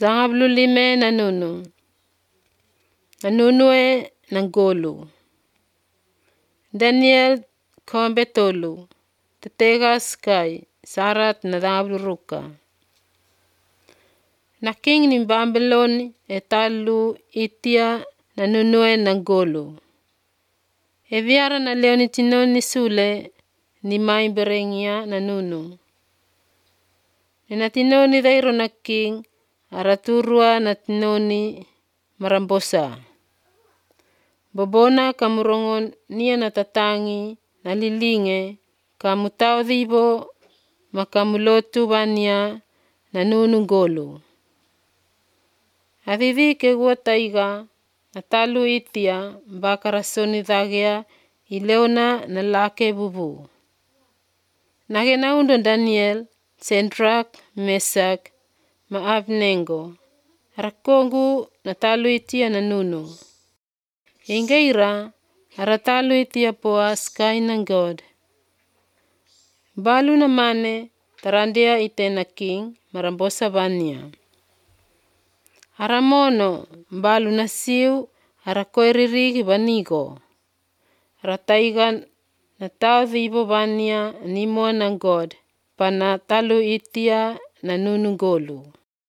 Zangabululime na nunue na golu. Daniel kombe tolu, tetegas kai, sarat na zangabuluruka. Na king ni Babyloni talu itia na nunue na golu. Viara na leo ni tinoni sule ni mai berengia na nunu. Nina tinoni dairo na king araturua na tinoni marambosa. Bobona kamurongon nia na tatangi na lilinge kamutao dhibo makamulotu bania na nunu golu. Avivi ke gua taiga na talu itia bakarasoni dhagea ileona na lake bubu. Nage na undo Daniel, Sendrak, Mesak, ma Abnengo. Arakongu na talu itia na nunu. Ingeira aratalu itia poas kaina God. Balu na mane tarandia itena king marambosa bania. Aramono balu na siu arakoiririgi banigo. Arataigan na tau dhibo bania ni moa na God pana talu itia na nunu golu.